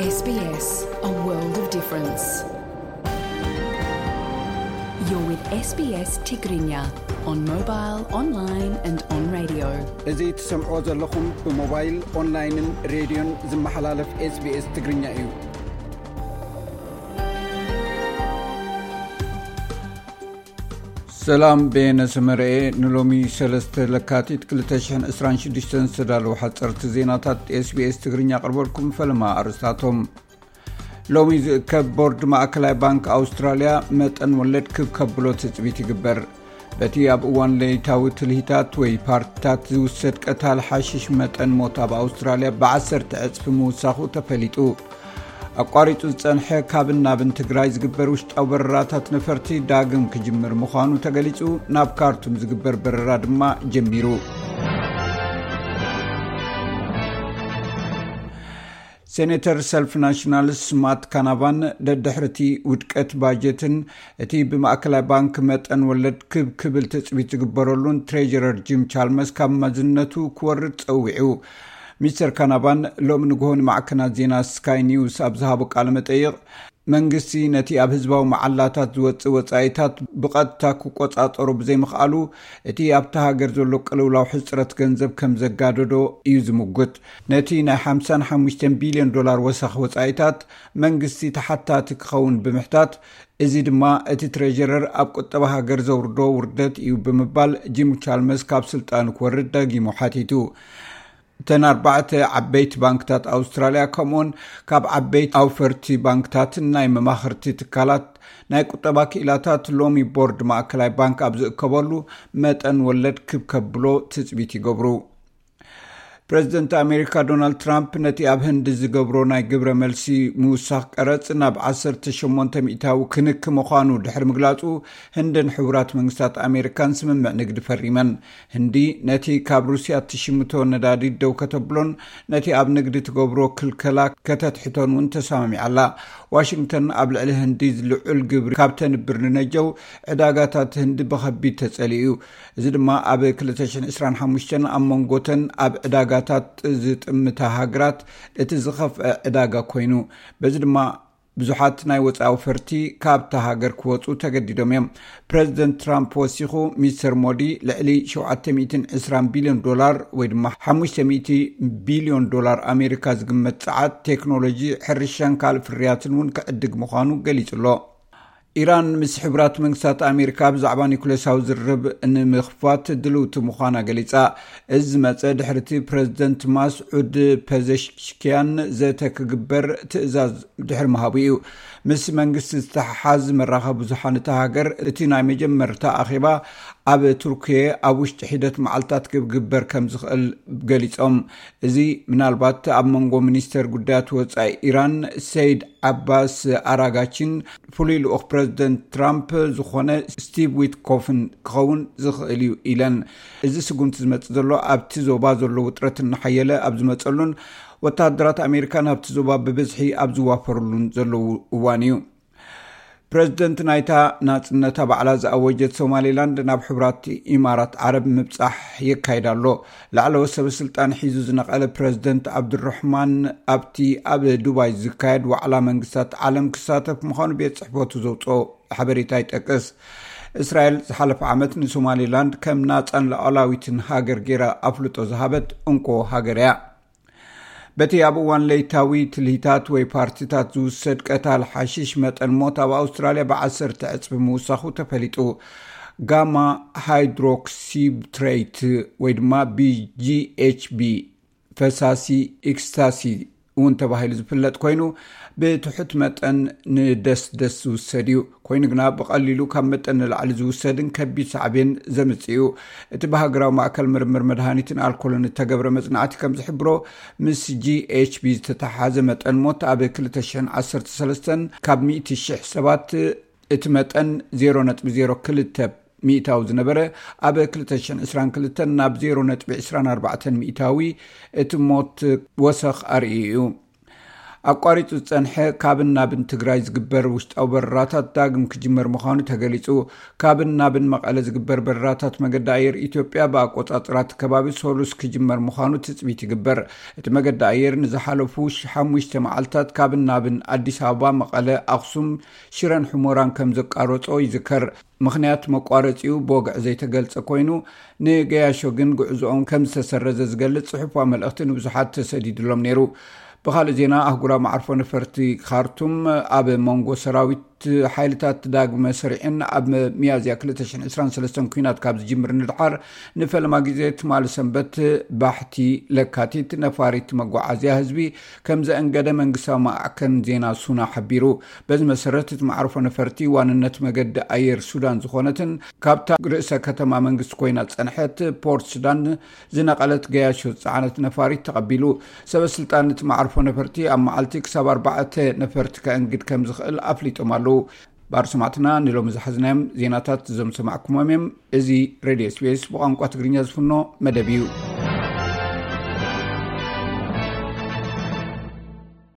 S B S, a world of difference. You're with S B S Tigrinya on mobile, online and on radio. እዚ ትሰምዕዎ ዘለኹም ብሞባይል፣ ኦንላይንን ሬድዮን ዝመሓላለፍ SBS ትግርኛ እዩ። ሰላም፣ በየነ ሰመረኤ። ንሎሚ ሰለስተ ለካቲት ክልተ ሽሕን ዕስራን ሽዱሽተን ዝተዳለዉ ሓፀርቲ ዜናታት SBS ትግርኛ ኣቕርበልኩም። ፈለማ ኣርስታቶም። ሎሚ ዝእከብ ቦርድ ማእከላይ ባንክ ኣውስትራልያ መጠን ወለድ ክብ ከብሎ ትጽቢት ይግበር። በቲ ኣብ እዋን ለይታዊ ትልሂታት ወይ ፓርቲታት ዝውሰድ ቀታል ሓሽሽ መጠን ሞት ኣብ ኣውስትራልያ ብዓሰርተ ዕጽፊ ምውሳኹ ተፈሊጡ። ኣቋሪጹ ዝጸንሐ ካብን ናብን ትግራይ ዝግበር ውሽጣዊ በረራታት ነፈርቲ ዳግም ክጅምር ምዃኑ ተገሊጹ። ናብ ካርቱም ዝግበር በረራ ድማ ጀሚሩ። ሴኔተር ሰልፊ ናሽናልስ ማት ካናቫን ደድሕርቲ ውድቀት ባጀትን እቲ ብማእከላይ ባንክ መጠን ወለድ ክብ ክብል ትጽቢት ዝግበረሉን ትሬጀረር ጂም ቻልመስ ካብ መዝነቱ ክወርድ ጸዊዑ። ሚስተር ካናቫን ሎሚ ንግሆ ንማዕከናት ዜና ስካይ ኒውስ ኣብ ዝሃቦ ቃለ መጠይቕ፣ መንግስቲ ነቲ ኣብ ህዝባዊ መዓላታት ዝወጽእ ወጻኢታት ብቐጥታ ክቆጻጸሮ ብዘይምኽኣሉ፣ እቲ ኣብታ ሃገር ዘሎ ቅልውላው ሕጽረት ገንዘብ ከም ዘጋደዶ እዩ ዝምጉት። ነቲ ናይ ሓምሳን ሓሙሽተን ቢልዮን ዶላር ወሰኽ ወጻኢታት መንግስቲ ተሓታቲ ክኸውን ብምሕታት፣ እዚ ድማ እቲ ትሬጀረር ኣብ ቁጠባ ሃገር ዘውርዶ ውርደት እዩ ብምባል ጂም ቻልመስ ካብ ስልጣኑ ክወርድ ደጊሙ ሓቲቱ። እተን ኣርባዕተ ዓበይቲ ባንክታት ኣውስትራልያ ከምኡውን ካብ ዓበይቲ ኣውፈርቲ ባንክታትን ናይ መማኽርቲ ትካላት ናይ ቁጠባ ክኢላታት ሎሚ ቦርድ ማእከላይ ባንክ ኣብ ዝእከበሉ መጠን ወለድ ክብ ከብሎ ትጽቢት ይገብሩ። ፕረዚደንት ኣሜሪካ ዶናልድ ትራምፕ ነቲ ኣብ ህንዲ ዝገብሮ ናይ ግብረ መልሲ ምውሳኽ ቀረጽ ናብ ዓሰርተ ሸሞንተ ሚእታዊ ክንክ ምዃኑ ድሕሪ ምግላጹ፣ ህንድን ሕቡራት መንግስታት ኣሜሪካን ስምምዕ ንግዲ ፈሪመን። ህንዲ ነቲ ካብ ሩስያ እትሽምቶ ነዳዲ ደው ከተብሎን ነቲ ኣብ ንግዲ ትገብሮ ክልከላ ከተትሕቶን እውን ተሰማሚዓ ኣላ። ዋሽንግተን ኣብ ልዕሊ ህንዲ ልዑል ግብሪ ካብ ተንብር ንነጀው ዕዳጋታት ህንዲ ብኸቢድ ተጸሊኡ እዩ። እዚ ድማ ኣብ ክልተ ሽሕን ዕስራን ሓሙሽተን ኣብ መንጎተን ኣብ ዕዳጋታት ዝጥምታ ሃገራት እቲ ዝኸፍአ ዕዳጋ ኮይኑ፣ በዚ ድማ ብዙሓት ናይ ወጻኢ ኣውፈርቲ ካብታ ሃገር ክወጹ ተገዲዶም እዮም። ፕረዚደንት ትራምፕ ወሲኹ፣ ሚስተር ሞዲ ልዕሊ ሸውዓተ ሚእትን ዕስራን ቢልዮን ዶላር ወይ ድማ ሓሙሽተ ሚእቲ ቢልዮን ዶላር ኣሜሪካ ዝግመት ጸዓት፣ ቴክኖሎጂ፣ ሕርሻን ካልእ ፍርያትን እውን ክዕድግ ምዃኑ ገሊጹ ኣሎ። ኢራን ምስ ሕቡራት መንግስታት ኣሜሪካ ብዛዕባ ኒኩሌሳዊ ዝርርብ ንምኽፋት ድልውቲ ምዃና ገሊጻ። እዚ ዝመጸ ድሕሪ እቲ ፕረዚደንት ማስዑድ ፐዘሽኪያን ዘተ ክግበር ትእዛዝ ድሕሪ ምሃቡ እዩ። ምስ መንግስቲ ዝተሓሓዝ መራኸቢ ብዙሓን እታ ሃገር እቲ ናይ መጀመርታ ኣኼባ ኣብ ቱርኪየ ኣብ ውሽጢ ሒደት መዓልታት ክግበር ከም ዝኽእል ገሊጾም። እዚ ምናልባት ኣብ መንጎ ሚኒስተር ጉዳያት ወጻኢ ኢራን ሰይድ ዓባስ ኣራጋቺን ፍሉይ ልኡኽ ፕረዚደንት ትራምፕ ዝኾነ ስቲቭ ዊትኮፍን ክኸውን ዝኽእል እዩ ኢለን። እዚ ስጉምቲ ዝመጽእ ዘሎ ኣብቲ ዞባ ዘሎ ውጥረት እናሓየለ ኣብ ዝመጸሉን ወተሃደራት ኣሜሪካ ናብቲ ዞባ ብብዝሒ ኣብ ዝዋፈሩሉን ዘለዉ እዋን እዩ። ፕረዚደንት ናይታ ናጽነታ ባዕላ ዝኣወጀት ሶማሌላንድ ናብ ሕቡራት ኢማራት ዓረብ ምብጻሕ የካይድ ኣሎ። ላዕለዎት ሰበ ስልጣን ሒዙ ዝነቐለ ፕረዚደንት ዓብዱራሕማን ኣብቲ ኣብ ዱባይ ዝካየድ ዋዕላ መንግስታት ዓለም ክሳተፍ ምዃኑ ቤት ጽሕፈቱ ዘውጽኦ ሓበሬታ ይጠቅስ። እስራኤል ዝሓለፈ ዓመት ንሶማሌላንድ ከም ናጻን ሉዓላዊትን ሃገር ገይራ ኣፍልጦ ዝሃበት እንኮ ሃገር እያ። በቲ ኣብ እዋን ለይታዊ ትልሂታት ወይ ፓርቲታት ዝውሰድ ቀታል ሓሽሽ መጠን ሞት ኣብ ኣውስትራልያ ብዓሰርተ ዕጽፊ ምውሳኹ ተፈሊጡ። ጋማ ሃይድሮክሲብትሬት ወይ ድማ ቢ ጂ ኤች ቢ፣ ፈሳሲ ኤክስታሲ እውን ተባሂሉ ዝፍለጥ ኮይኑ፣ ብትሑት መጠን ንደስደስ ዝውሰድ እዩ። ኮይኑ ግና ብቐሊሉ ካብ መጠን ንላዕሊ ዝውሰድን ከቢድ ሳዕቤን ዘምጽእ እዩ። እቲ ብሃገራዊ ማእከል ምርምር መድሃኒትን ኣልኮልን እተገብረ መጽናዕቲ ከም ዝሕብሮ፣ ምስ ጂ ኤች ቢ ዝተተሓሓዘ መጠን ሞት ኣብ ክልተ ሽሕን ዓሰርተ ሰለስተን ካብ ሚእቲ ሽሕ ሰባት እቲ መጠን ዜሮ ነጥቢ ዜሮ ክልተ ሚእታዊ ዝነበረ፣ ኣብ ክልተ ሽሕን ዕስራን ክልተን ናብ ዜሮ ነጥቢ ዕስራን ኣርባዕተን ሚእታዊ እቲ ሞት ወሰኽ ኣርእዩ እዩ። ኣቋሪጹ ዝጸንሐ ካብን ናብን ትግራይ ዝግበር ውሽጣዊ በረራታት ዳግም ክጅመር ምዃኑ ተገሊጹ። ካብን ናብን መቐለ ዝግበር በረራታት መገዲ ኣየር ኢትዮጵያ ብኣቆጻጽራ እቲ ከባቢ ሰሉስ ክጅመር ምዃኑ ትጽቢት ይግበር። እቲ መገዲ ኣየር ንዝሓለፉ ሽ-፣ ሓሙሽተ መዓልታት ካብን ናብን ኣዲስ ኣበባ፣ መቐለ፣ ኣኽሱም፣ ሽረን ሕሞራን ከም ዘቃረጾ ይዝከር። ምኽንያት መቋረጺኡ ብወግዒ ዘይተገልጸ ኮይኑ፣ ንገያሾ ግን ጉዕዞኦም ከም ዝተሰረዘ ዝገልጽ ጽሑፋዊ መልእኽቲ ንብዙሓት ተሰዲድሎም ነይሩ። ብኻልእ ዜና፣ ኣህጉራዊ መዓርፎ ነፈርቲ ካርቱም ኣብ መንጎ ሰራዊት ሓይልታት ዳግመ ስሪዕን ኣብ ሚያዝያ ክልተ ሽሕን ዕስራን ሰለስተን ኲናት ካብ ዝጅምር ንድሓር ንፈለማ ግዜ ትማሊ ሰንበት ባሕቲ ለካቲት ነፋሪት መጓዓዝያ ህዝቢ ከም ዘእንገደ መንግስታዊ ማዕከን ዜና ሱና ሓቢሩ። በዚ መሰረት፣ እቲ መዓርፎ ነፈርቲ ዋንነት መገዲ ኣየር ሱዳን ዝኾነትን ካብታ ርእሰ ከተማ መንግስቲ ኮይና ዝጸንሐት ፖርት ሱዳን ዝነቐለት ገያሾ ዝጸዓነት ነፋሪት ተቐቢሉ። ሰበ ስልጣን እቲ መዓርፎ ነፈርቲ ኣብ መዓልቲ ክሳብ ኣርባዕተ ነፈርቲ ከእንግድ ከም ዝኽእል ኣፍሊጦም ኣለዉ። ባር ሰማዕትና፣ ንሎሚ ዝሓዝናዮም ዜናታት እዞም ሰማዕኩሞም እዮም። እዚ ሬድዮ ኤስቢኤስ ብቋንቋ ትግርኛ ዝፍኖ መደብ እዩ።